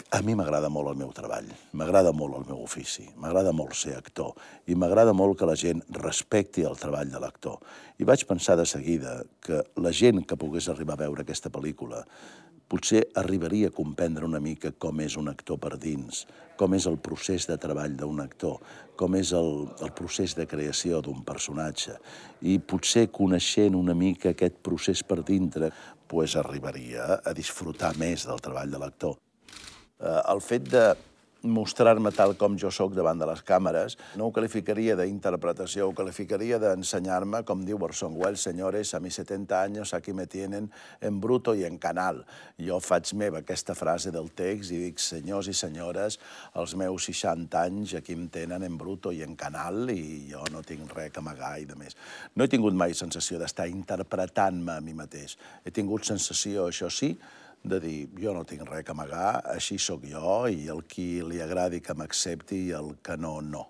A mi m'agrada molt el meu treball, m'agrada molt el meu ofici, m'agrada molt ser actor i m'agrada molt que la gent respecti el treball de l'actor. I vaig pensar de seguida que la gent que pogués arribar a veure aquesta pel·lícula potser arribaria a comprendre una mica com és un actor per dins, com és el procés de treball d'un actor, com és el procés de creació d'un personatge. I potser coneixent una mica aquest procés per dintre, arribaria a disfrutar més del treball de l'actor. El fet de mostrar-me tal com jo sóc davant de les càmeres no ho qualificaria d'interpretació, ho qualificaria d'ensenyar-me, com diu Orson Welles, senyores, a mis 70 años aquí me tienen en bruto y en canal. Jo faig meva aquesta frase del text i dic, senyors i senyores, els meus 60 anys aquí em tenen en bruto i en canal i jo no tinc res que amagar i de més. No he tingut mai sensació d'estar interpretant-me a mi mateix. He tingut sensació, això sí, de dir, jo no tinc res a amagar, així sóc jo, i el qui li agradi que m'accepti i el que no, no.